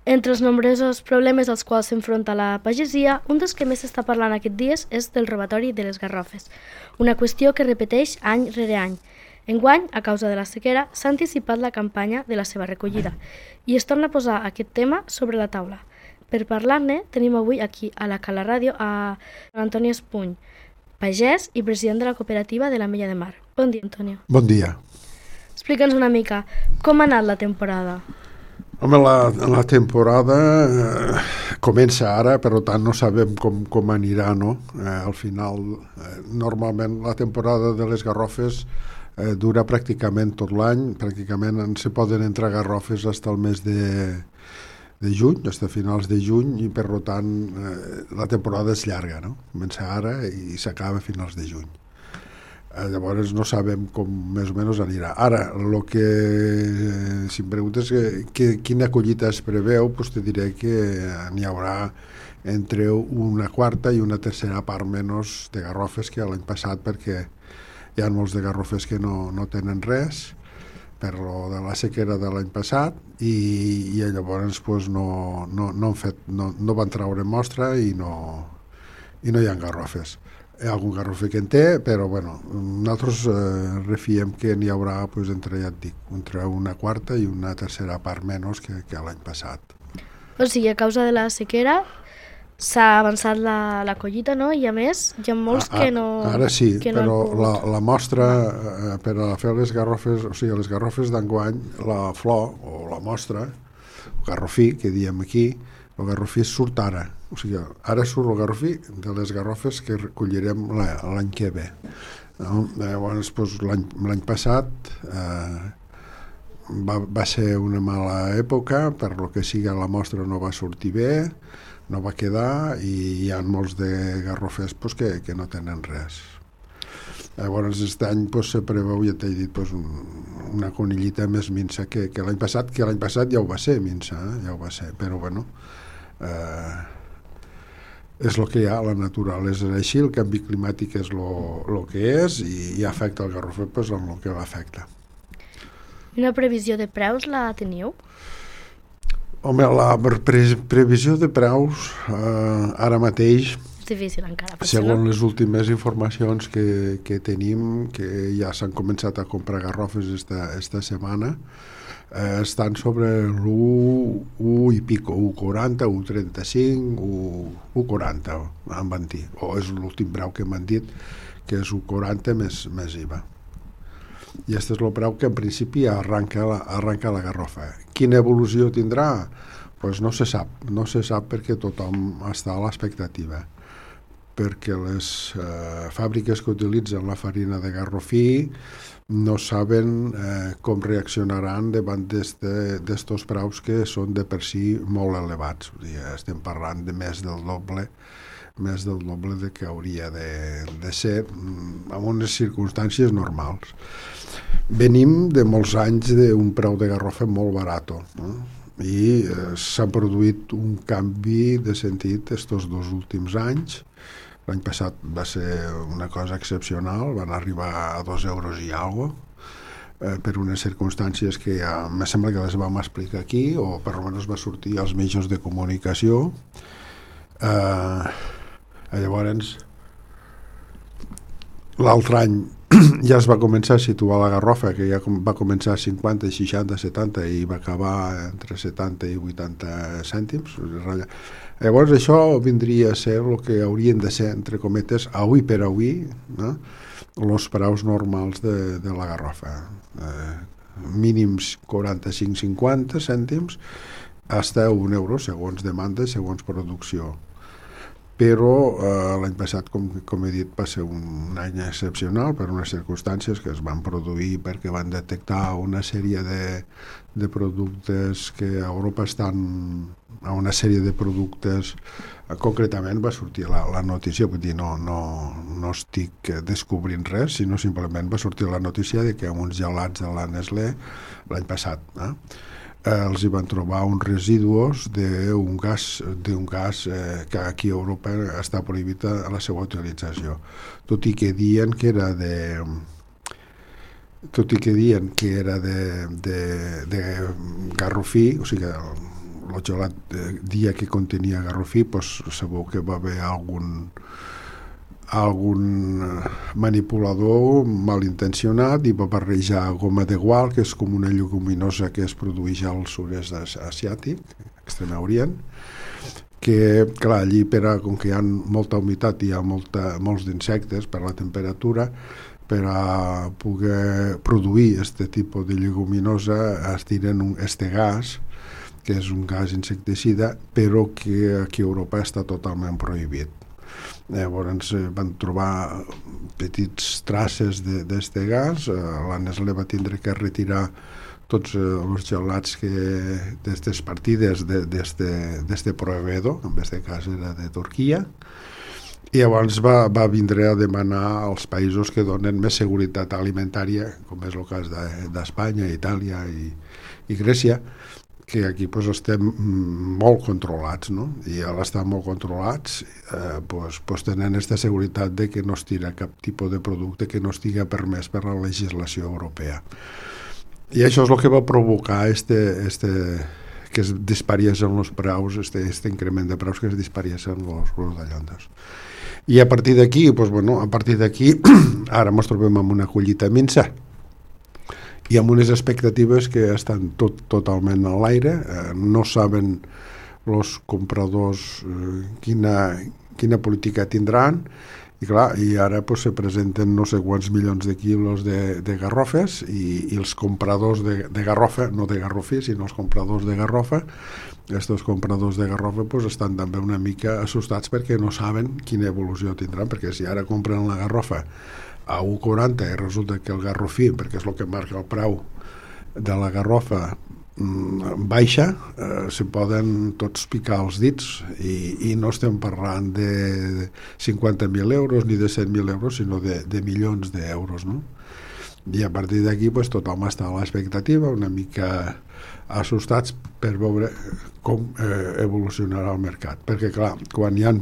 Entre els nombrosos problemes als quals s'enfronta la pagesia, un dels que més s'està parlant aquests dies és del robatori de les garrofes, una qüestió que repeteix any rere any. Enguany, a causa de la sequera, s'ha anticipat la campanya de la seva recollida i es torna a posar aquest tema sobre la taula. Per parlar-ne, tenim avui aquí a la Cala Ràdio a Antoni Espuny, pagès i president de la cooperativa de l'Ametlla de Mar. Bon dia, Antonio. Bon dia. Explica'ns una mica, com ha anat la temporada? Home, la temporada comença ara, per tant no sabem com anirà, no? Al final, normalment la temporada de les garrofes dura pràcticament tot l'any, pràcticament se poden entrar garrofes fins al mes de juny, fins a finals de juny, i per tant la temporada és llarga, no? Comença ara i s'acaba a finals de juny. Llavors no sabem com més o menys anirà. Ara, el que si em preguntes quina collita es preveu, doncs te diré que n'hi haurà entre una quarta i una tercera part menys de garrofes que l'any passat, perquè hi ha molts de garrofes que no tenen res per lo de la sequera de l'any passat i llavors doncs, no van treure mostra i no hi ha garrofes. Hi ha algun garrofer que en té, però bueno, nosaltres refiem que n'hi haurà doncs, entre una quarta i una tercera part menys que l'any passat. O sigui, a causa de la sequera s'ha avançat la collita, no? I a més hi ha molts que no... Ara sí, que però no la mostra per a fer les garrofes, o sigui, les garrofes d'enguany, la flor o la mostra, el garrofí, que diem aquí, el garrofí surt ara. O sigui, ara surt el garrofí de les garrofes que recollirem l'any que ve. No? Llavors, doncs, l'any passat va ser una mala època, per lo que sigui la mostra no va sortir bé, no va quedar i hi ha molts de garrofers doncs, que no tenen res. Llavors, aquest any doncs, se preveu, ja t'he dit, doncs, una conillita més minsa que l'any passat, que l'any passat ja ho va ser minsa, ja ho va ser, però bueno, és el que hi ha, la naturalesa és així, el canvi climàtic és el que és i afecta el garrofer doncs, amb el que l'afecta. Una previsió de preus la teniu? Home, la previsió de preus ara mateix, És difícil encara. segons les últimes informacions que tenim, que ja s'han començat a comprar garrofes esta setmana, estan sobre l'1 i pico, 1,40, 1,35, 1,40 em van dir, o és l'últim preu que m'han dit, que és 1,40 més IVA. I aquest és el preu que en principi arranca la garrofa. Quina evolució tindrà? Pues no se sap perquè tothom està a l'expectativa, perquè les fàbriques que utilitzen la farina de garrofí no saben com reaccionaran davant d'estos preus que són de per si molt elevats. O sigui, estem parlant de més del doble de que hauria de ser en unes circumstàncies normals. Venim de molts anys d'un preu de garrofa molt barat, no? I s'ha produït un canvi de sentit estos 2 últims anys. L'any passat va ser una cosa excepcional, van arribar a 2 euros i alguna cosa, per unes circumstàncies que ja me sembla que les vam explicar aquí, o per almenys va sortir als mitjans de comunicació. Llavors, l'altre any ja es va començar a situar la garrofa, que ja va començar a 50, 60, 70 i va acabar entre 70 i 80 cèntims. Llavors això vindria a ser el que haurien de ser, entre cometes, avui per avui, no? Els preus normals de la garrofa. Mínims 45-50 cèntims fins a 1 euro, segons demanda, segons producció. Però l'any passat, com he dit, va ser un any excepcional per unes circumstàncies que es van produir perquè van detectar una sèrie de productes que a Europa estan a una sèrie de productes. Concretament va sortir la notícia, vull dir, no estic descobrint res, sinó simplement va sortir la notícia de que uns gelats de la Nestlé l'any passat els hi van trobar uns residus d'un gas que aquí a Europa està prohibit a la seva utilització, tot i que diuen que era de garrofí, o sigui, el gelat dia que contenia garrofí, pues, segur que va haver algun manipulador malintencionat i va barrejar goma de gual, que és com una lleguminosa que es produeix al sud-est asiàtic, Extrem Orient, que, clar, allí, com que hi ha molta humitat i hi ha molts d'insectes per la temperatura, per a poder produir aquest tipus de lleguminosa es tiren este gas, que és un gas insecticida, però que aquí a Europa està totalment prohibit. Llavors van trobar petits traces d'aquest gas, la Nestlé va tindre que retirar tots els gelats d'aquestes partides d'aquest proveïdor, en aquest cas era de Turquia, i llavors va vindre a demanar als països que donen més seguretat alimentària, com és el cas d'Espanya, Itàlia i Grècia, que aquí pues, estem molt controlats, no? I al estar molt controlats pues, tenen aquesta seguretat de que no es tira cap tipus de producte que no estigui permès per la legislació europea. I això és el que va provocar que es dispariessin els preus, este increment de preus que es dispariessin els rodallones. I a partir d'aquí, pues, bueno, ara ens trobem amb una collita minsa i amb unes expectatives que estan totalment a l'aire, no saben els compradors quina política tindran, i clar, i ara pues, se presenten no sé quants milions de quilos de garrofes i els compradors de garrofa, no de garrofí, sinó els compradors de garrofa, aquests compradors de garrofa pues, estan també una mica assustats perquè no saben quina evolució tindran, perquè si ara compren la garrofa a 1,40 i resulta que el garrofí, perquè és el que marca el preu de la garrofa, baixa, se poden tots picar els dits i no estem parlant de 50.000 euros ni de 100.000 euros, sinó de milions d'euros, no? I a partir d'aquí pues, tothom està a l'expectativa, una mica assustats per veure com evolucionarà el mercat, perquè clar, quan hi ha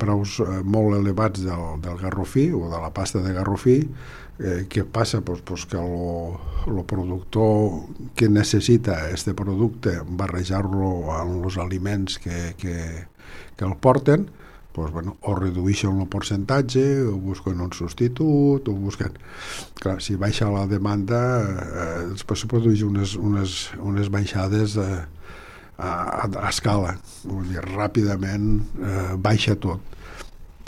preus molt elevats del garrofí o de la pasta de garrofí, què passa? Pues que el productor que necessita aquest producte, barrejar-lo amb els aliments que el porten, pues, bueno, o redueixen el percentatge, o busquen un substitut, o busquen... Clar, si baixa la demanda, després se produeixen unes baixades a escala, vull dir, ràpidament baixa tot.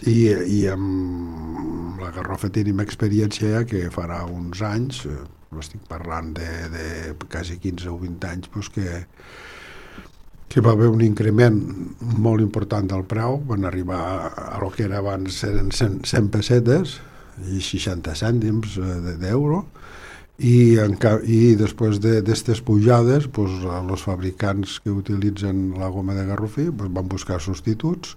I amb la garrofa tenim experiència ja que farà uns anys, estic parlant de quasi 15 o 20 anys, doncs que va haver un increment molt important del preu, van arribar a lo que era abans eren 100 pessetes i 60 cèntims d'euro, i després d'aquestes pujades els fabricants que utilitzen la goma de garrofí van buscar substituts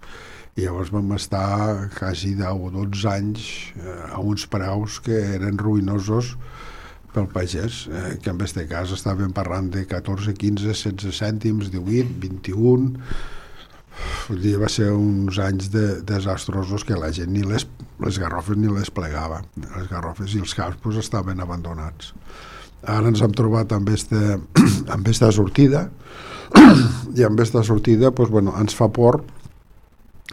i llavors vam estar quasi 10 o 12 anys a uns preus que eren ruïnosos pel pagès, que en aquest cas estàvem parlant de 14, 15, 16 cèntims, 18, 21. Va ser uns anys desastrosos que la gent ni les garrofes ni les plegava. Les garrofes i els camps estaven abandonats. Ara ens hem trobat amb aquesta sortida i amb aquesta sortida ens fa por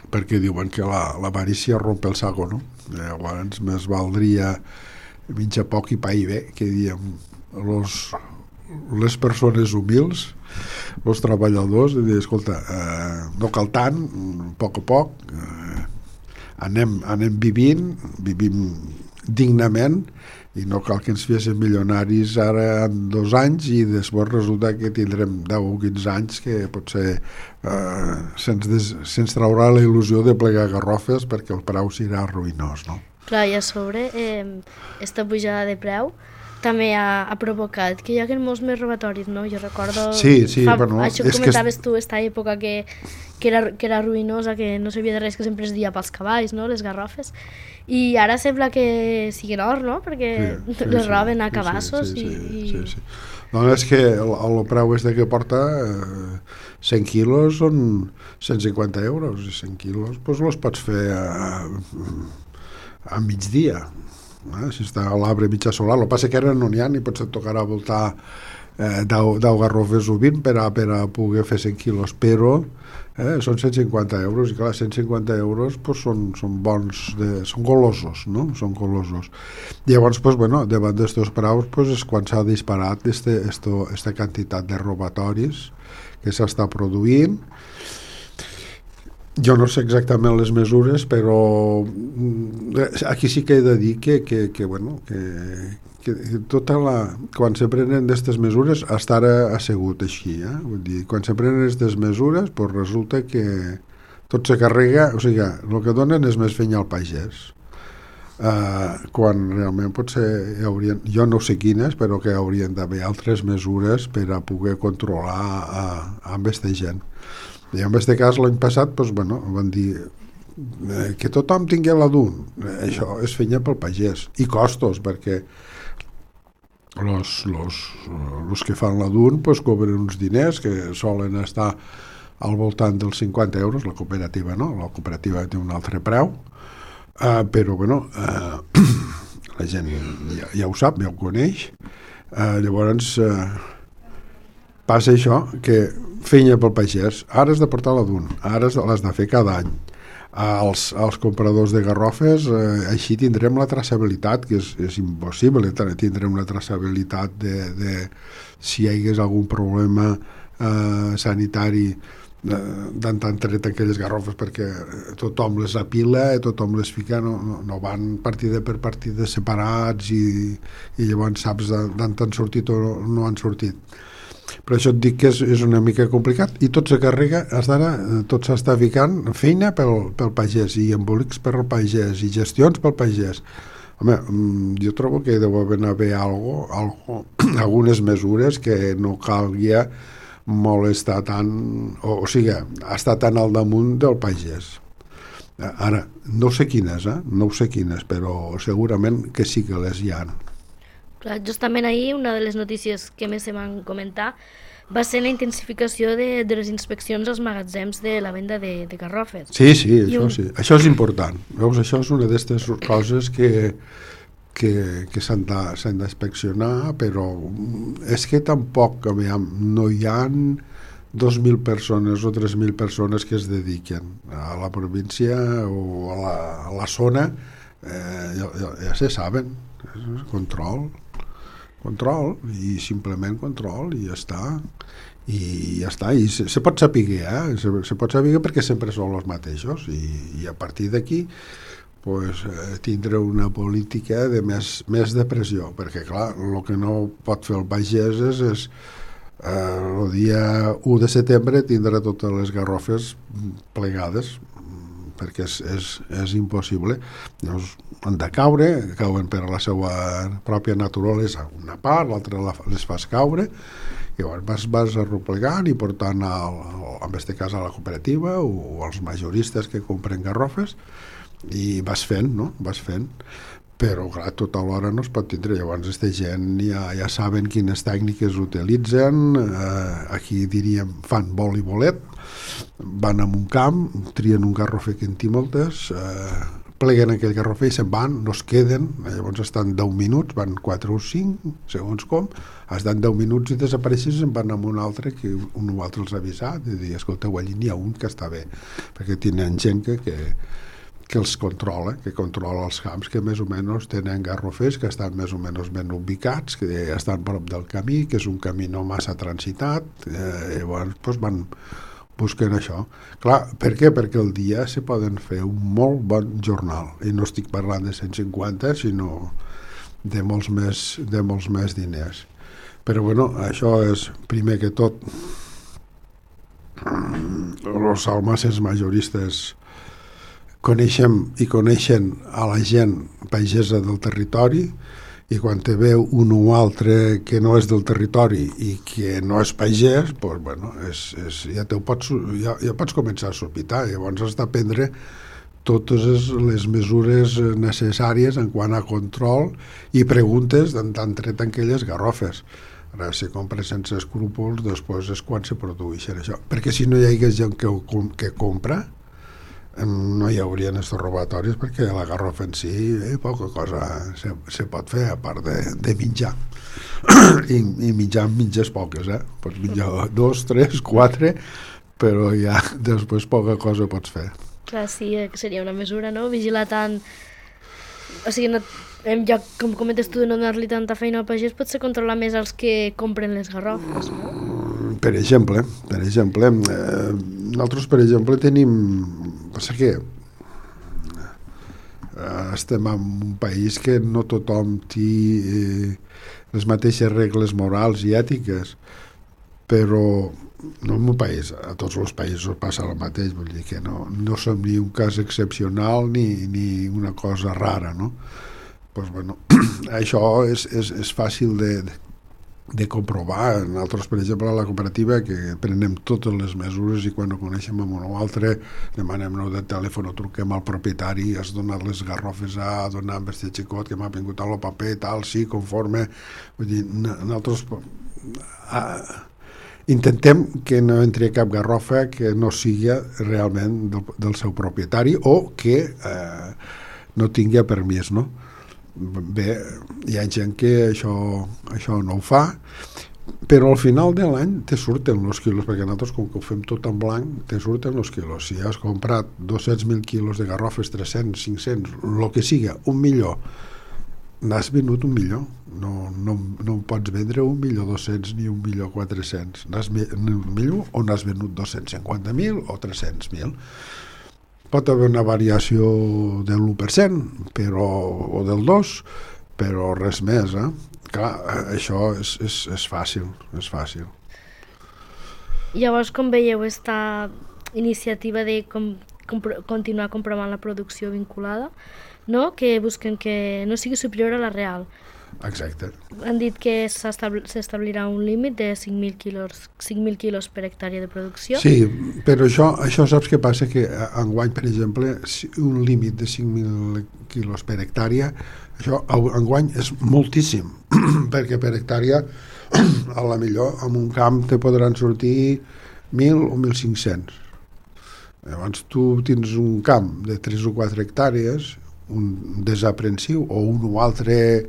perquè diuen que l'avarícia rompe el saco, no? Llavors més valdria menjar poc i pa i bé, que diem les persones humils, els treballadors, i dir, escolta, no cal tant, a poc, anem vivim dignament i no cal que ens féssim milionaris ara en 2 anys i després resulta que tindrem 10 o 15 anys que potser se'ns traurà la il·lusió de plegar garrofes perquè el preu serà ruïnós, no? Clar, i a sobre, aquesta pujada de preu també ha provocat que hi hagi molts més robatoris, no? Jo recordo... Sí, això que comentaves tu, aquesta època que era ruïnosa, que no sabia de res, que sempre es dia pels cavalls, no? Les garrofes. I ara sembla que siguin or, no? Perquè les roben a cabassos i... No, és que el preu que porta 100 quilos són 150 euros, i 100 quilos els pots fer a migdia. Si està a l'arbre mitjà solar, el que passa que ara no n'hi ha ni potser et tocarà voltar 10 garrofes o 20 per a poder fer 100 quilos, però són 150 euros, i clar, 150 euros pues, són bons, són golosos, no? Són golosos. Llavors, pues, bueno, davant d'estos preus pues, és quan s'ha disparat esta quantitat de robatoris que s'està produint. Jo no sé exactament les mesures, però aquí sí que he de dir que tota quan se prenen d'aquestes mesures estar assegut així, vull dir, quan se prenen aquestes mesures pues resulta que tot se carrega, o sigui, el que donen és més feina al pagès, quan realment potser jo no sé quines, però que haurien d'haver altres mesures per a poder controlar amb aquesta gent. I en aquest cas l'any passat pues, bueno, van dir que tothom tingui la DUN. Això és feina pel pagès i costos, perquè els que fan la DUN pues, cobren uns diners que solen estar al voltant dels 50 euros, la cooperativa no, la cooperativa té un altre preu, però bueno, la gent ja ho sap, ja ho coneix. Llavors passa això, que feina pel pagès, ara has de portar la DUN, ara l'has de fer cada any. Als compradors de garrofes així tindrem la traçabilitat, que és impossible, tindrem la traçabilitat de si hi hagués algun problema sanitari d'en tret aquelles garrofes, perquè tothom les apila i tothom les fica, no van partida per partida separats i llavors saps d'on han sortit o no han sortit. Per això et dic que és una mica complicat i tot se carrega, tot s'està ficant feina pel pagès i embolics pel pagès i gestions pel pagès. Home, jo trobo que deu haver algunes mesures que no calguia molestar tant, o sigui, estar tan al damunt del pagès. Ara, no sé quines, però segurament que sí que les hi ha. Clar, justament ahir una de les notícies que més se van comentar va ser la intensificació de les inspeccions als magatzems de la venda de garrofes. Sí, sí. Això és important. Veus, això és una d'aquestes coses que s'han d'inspeccionar, però és que tampoc no hi ha 2.000 persones o 3.000 persones que es dediquen a la província o a la zona, ja se saben, control i simplement control i ja està, i se pot saber, se pot saber perquè sempre són els mateixos i a partir d'aquí pues, tindre una política de més de pressió, perquè clar, el que no pot fer el pagès és el dia 1 de setembre tindre totes les garrofes plegades, perquè és impossible. Llavors han de cauen per la seva pròpia naturalesa una part, l'altra les fas caure, i llavors vas arroplegant i portant en aquest cas a la cooperativa o als majoristes que compren garrofes i vas fent, però clar, tot alhora no es pot tindre. Llavors aquesta gent ja saben quines tècniques utilitzen, aquí diríem fan vol i bolet, van a un camp, trien un garrofer que en té moltes, pleguen aquell garrofer i se'n van, no es queden, llavors estan 10 minuts, van 4 o 5, segons com, estan 10 minuts i desapareixen, se'n van amb un altre que un o altre els ha avisat, i dir, escolteu, allí n'hi ha un que està bé, perquè tenen gent que els controla, que controla els camps, que més o menys tenen garrofers que estan més o menys ben ubicats, que estan prop del camí, que és un camí no massa transitat, llavors doncs van busquen això. Clar, per què? Perquè el dia se poden fer un molt bon jornal, i no estic parlant de 150, sinó de molts més diners. Però bueno, això és, primer que tot, els almacenes majoristes coneixen a la gent pagesa del territori, i quan te veu un o altre que no és del territori i que no és pagès, doncs, bueno, ja pots començar a sospitar. Llavors has de prendre totes les mesures necessàries en quant a control i preguntes d'on tret aquelles garrofes. Ara, si compres sense escrúpols, després és quan se produeixen això. Perquè si no hi hagués gent que compra, no hi haurien estos robatoris perquè la garrofa en si poca cosa se pot fer a part de menjar i menjar mitges poques, pots menjar 2, 3, 4, però ja després poca cosa pots fer. Clar, sí, seria una mesura, no? Vigilar tant... O sigui, no, ja, com comentes tu, de no donar-li tanta feina al pagès, potser controlar més els que compren les garrofes, no? Per exemple, nosaltres, per exemple, tenim... Passa que estem en un país que no tothom té les mateixes regles morals i ètiques, però no en un país, a tots els països passa el mateix, vull dir que no som ni un cas excepcional ni una cosa rara, no? Pues bueno, això és fàcil de comprovar. Nosaltres, per exemple, a la cooperativa, que prenem totes les mesures i quan ho coneixem amb un o altre demanem nou de telèfon o truquem al propietari, has donat les garrofes a donar amb este xicot que m'ha vingut al paper, tal, sí, conforme. Vull dir, nosaltres intentem que no entri cap garrofa que no sigui realment del seu propietari o que no tingui permís, no? Bé, hi ha gent que això no ho fa, però al final de l'any te surten els quilos, perquè nosaltres, com que ho fem tot en blanc, te surten els quilos. Si has comprat 200.000 quilos de garrofes, 300, 500, el que siga, 1.000.000, n'has venut 1.000.000. No pots vendre 1.200.000 ni 1.400.000. N'has venut 1.000.000 o n'has venut 250.000 o 300.000. Pot haver una variació del 1% o del 2%, però res més. Clar, això és fàcil, és fàcil. Llavors, com veieu esta iniciativa de continuar comprovant la producció vinculada, no? Que busquen que no sigui superior a la real? Exacte. Han dit que s'establirà un límit de 5.000 quilos per hectàrea de producció. Sí, però això saps què passa? Que enguany, per exemple, un límit de 5.000 quilos per hectàrea, això enguany és moltíssim, perquè per hectàrea, a la millor, en un camp te podran sortir 1.000 o 1.500. Llavors tu tens un camp de 3 o 4 hectàrees, un desaprensiu o un o altre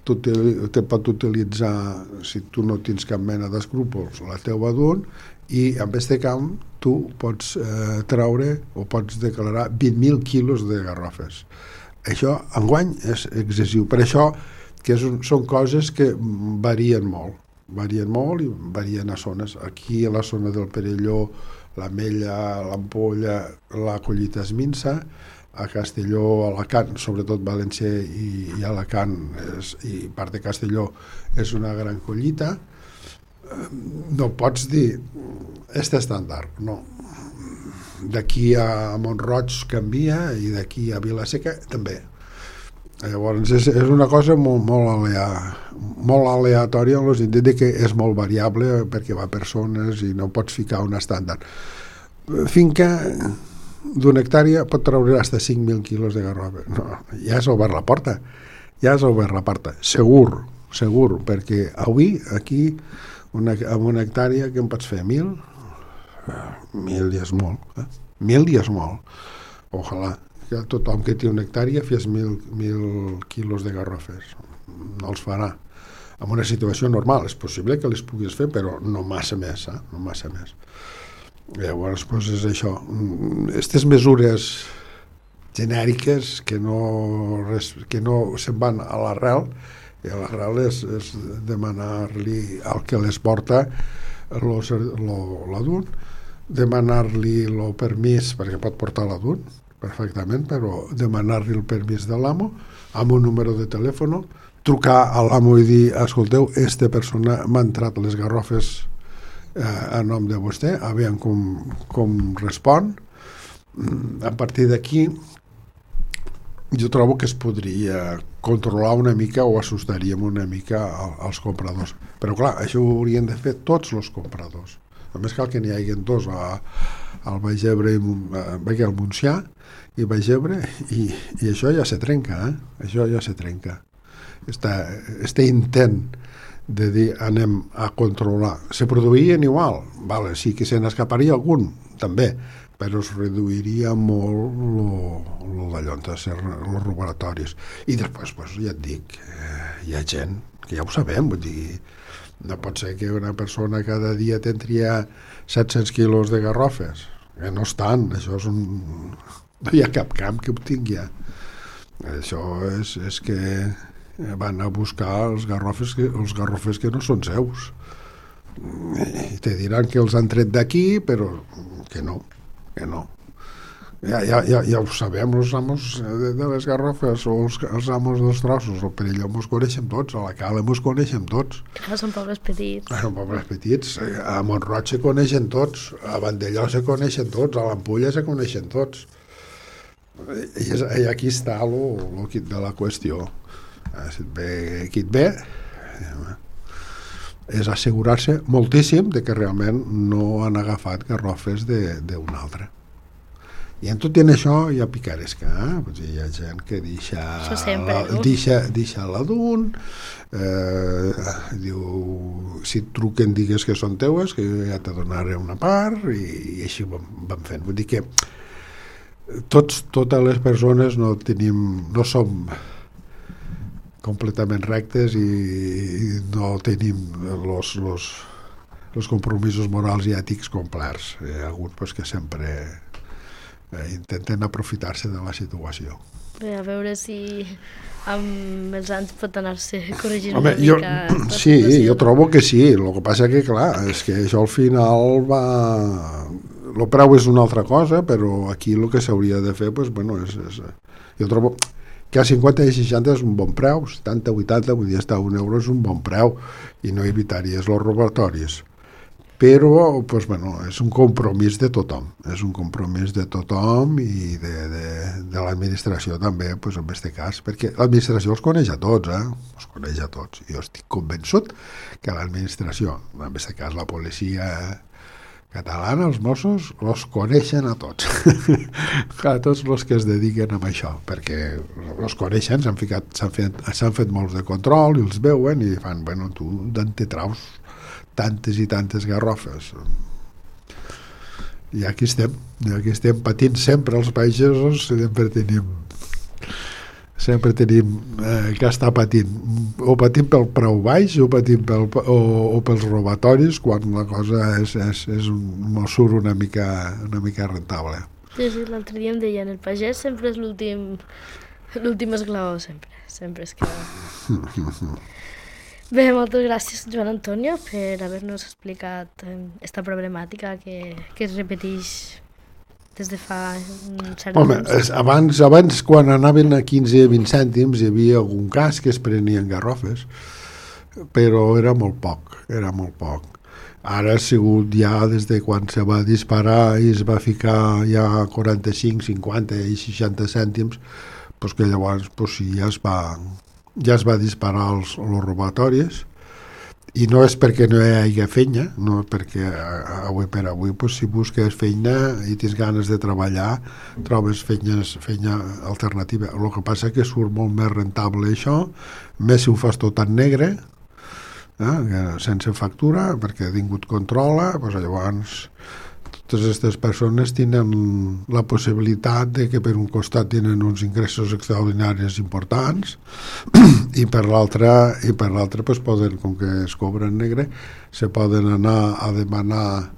te pot utilitzar, si tu no tens cap mena d'escrúpols, la teua d'un, i amb aquest camp tu pots treure o pots declarar 20.000 quilos de garrofes. Això enguany és excessiu. Per això que són coses que varien molt i varien a zones. Aquí a la zona del Perelló, l'Ametlla, l'Ampolla, la collita és minsa. A Castelló, a Alacant, sobretot València i Alacant i part de Castelló és una gran collita. No pots dir este estàndard, no. D'aquí a Mont-roig canvia i d'aquí a Vila-seca també. Llavors és una cosa molt aleatòria en el sentit que és molt variable perquè va per zones i no pots ficar un estàndard. Finca d'una hectàrea pot treure fins a 5.000 quilos de garrofa. No, ja has obert la porta. Segur, perquè avui, aquí, amb una hectàrea, que en pots fer 1.000? 1.000 ja és molt. 1.000 ja és molt. Ojalà que tothom que té una hectàrea fes 1.000 quilos de garrofes. No els farà. En una situació normal és possible que les puguis fer, però no massa més, no massa més. Llavors, doncs és això. Aquestes mesures genèriques que no se'n van a l'arrel, i a l'arrel és demanar-li al que les porta l'adult, demanar-li el permís, perquè pot portar l'adult perfectament, però demanar-li el permís de l'amo amb un número de telèfon, trucar a l'amo i dir, escolteu, aquesta persona m'ha entrat les garrofes a nom de vostè, a veure com respon. A partir d'aquí jo trobo que es podria controlar una mica o assustaríem una mica als compradors, però clar, això ho haurien de fer tots els compradors. Només cal que n'hi hagi dos al Baix Ebre al Montsià i Baix Ebre, i això ja se trenca, això ja se trenca. Este intent de dir anem a controlar. Se produïen igual, vale, sí que se n'escaparia algun, també, però es reduiria molt lo d'allò, els laboratoris. I després, pues, ja et dic, hi ha gent que ja ho sabem, vull dir, no pot ser que una persona cada dia tindria 700 quilos de garrofes, que no estan, això és no hi ha cap camp que ho tingui. Això és que van a buscar els garrofes que no són seus. I te diran que els han tret d'aquí, però que no. Ja ho sabem, els amos de les garrofes o els amos dels trossos, el Perelló mos coneixem tots, a la Cala mos coneixem tots. Són pobles petits. Són pobles petits, a Montroig se coneixen tots, a Vandelló se coneixen tots, a l'Ampulla se coneixen tots. I aquí està el quid de la qüestió. Si et ve, és assegurar-se moltíssim de que realment no han agafat garrofes d'un altre. I en tot i en això hi ha picaresca, hi ha gent que deixa la d'un, diu, si et truquen digues que són teues, que ja te donaré una part, i així van fent. Vull dir que totes les persones no som completament rectes i no tenim els compromisos morals i ètics complerts. Hi ha hagut que sempre intenten aprofitar-se de la situació. Bé, a veure si amb els anys pot anar-se corregint una mica. Sí, jo trobo que sí. El que passa que, clar, és que això al final va... El preu és una altra cosa, però aquí el que s'hauria de fer, jo trobo que a 50 i 60 és un bon preu, 70, 80, vull dir, estar a €1 és un bon preu i no evitaries els robatoris. Però, és un compromís de tothom. És un compromís de tothom i de l'administració també, en aquest cas, perquè l'administració els coneix a tots, els coneix a tots. Jo estic convençut que l'administració, en aquest cas la policia catalana, els Mossos, els coneixen a tots. A tots els que es dediquen a això, perquè els coneixen, s'han fet molts de control i els veuen i fan, tu d'on te traus tantes i tantes garrofes. I aquí estem patint sempre els pagesos, sempre tenim que estar patint, o patint pel preu baix o pels robatoris, quan la cosa surt una mica rentable. Sí, l'altre dia em deien, el pagès sempre és l'últim esglaó, sempre es queda. Bé, moltes gràcies, Joan Antonio, per haver-nos explicat aquesta problemàtica que es repeteix des de fa un cert temps. Abans, quan anaven a 15 o 20 cèntims, hi havia algun cas que es prenien garrofes, però era molt poc. Ara ha sigut ja des de quan se va disparar i es va ficar ja 45, 50 i 60 cèntims, que llavors ja es va disparar els robatoris, i no és perquè no hi hagi feina, no és perquè avui per avui si busques feina i tens ganes de treballar trobes feina alternativa. El que passa és que surt molt més rentable això, més si ho fas tot en negre, sense factura, perquè ningú et controla, llavors totes aquestes persones tenen la possibilitat de que per un costat tenen uns ingressos extraordinaris importants i per l'altre poden, com que es cobra en negre, se poden anar a demanar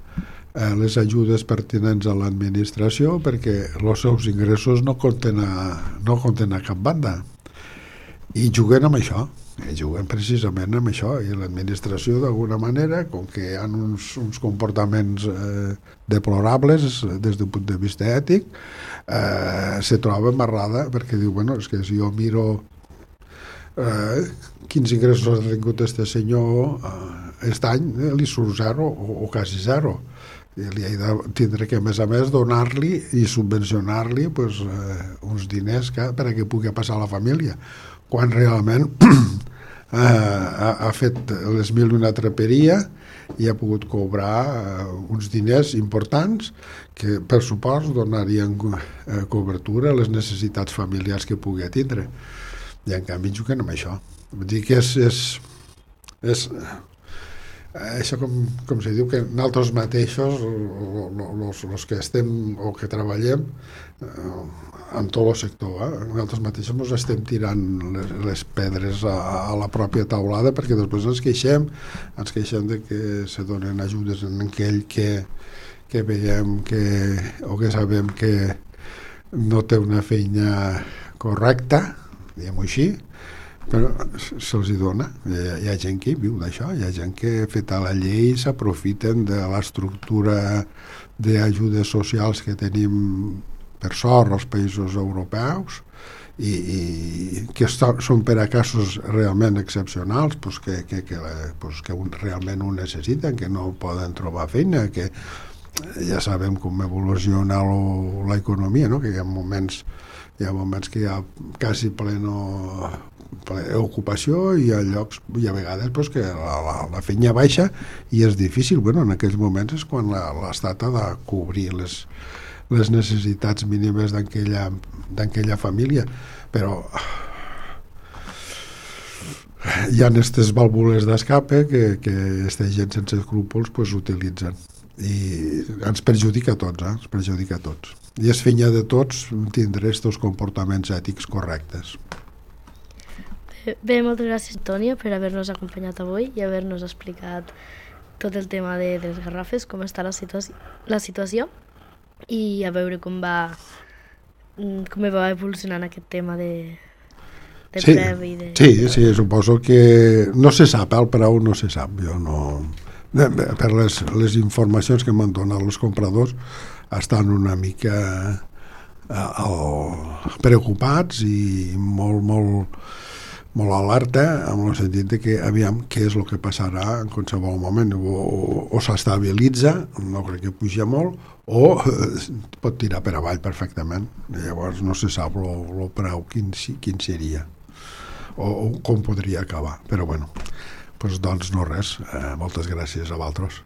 les ajudes pertinents a l'administració perquè els seus ingressos no compten a cap banda, i juguen amb això. Juguen precisament amb això, i l'administració d'alguna manera, com que hi ha uns comportaments deplorables des d'un punt de vista ètic, se troba amarrada perquè diu, és que si jo miro quins ingressos ha tingut aquest senyor aquest any, li surt zero o quasi zero, i li he de tindre que a més donar-li i subvencionar-li uns diners perquè pugui passar a la família, quan realment ha fet les mil i una traperia i ha pogut cobrar uns diners importants que per supost donarien cobertura a les necessitats familiars que pugui tindre, i en canvi juguen amb això. Vull dir que és És, això com se diu que nosaltres mateixos els que estem o que treballem en tot el sector, nosaltres mateixos ens estem tirant les pedres a la pròpia taulada, perquè després ens queixem de que se donen ajudes en aquell que veiem o que sabem que no té una feina correcta, diguem-ho així, però se'ls dona. Hi ha gent que viu d'això, hi ha gent que, feta la llei, s'aprofiten de l'estructura d'ajudes socials que tenim, per sort, als països europeus, i que són per a casos realment excepcionals, pues que realment ho necessiten, que no poden trobar feina, que ja sabem com evoluciona l'economia, no? Que hi ha moments que hi ha quasi plena ocupació, i a llocs, i a vegades pues, que la feina baixa i és difícil. Bueno, en aquells moments és quan l'Estat ha de cobrir les necessitats mínimes d'aquella família, però hi ha aquestes vàlvules d'escape que aquesta gent sense escrúpols pues, utilitzen, i ens perjudica a tots, ens perjudica a tots, i és feina de tots tindre aquests comportaments ètics correctes. Bé, moltes gràcies, Antònia, per haver-nos acompanyat avui i haver-nos explicat tot el tema de les garrofes, com està la situació, i a veure com va evolucionant aquest tema de preu i de... Sí, suposo que no se sap, el preu no se sap, jo no... Per les informacions que m'han donat els compradors estan una mica preocupats i molt alerta, en el sentit de que aviam què és el que passarà en qualsevol moment, o s'estabilitza, no crec que puja molt, o pot tirar per avall perfectament. Llavors no se sap el preu quin seria o com podria acabar, però bueno, doncs no res, moltes gràcies a vosaltres.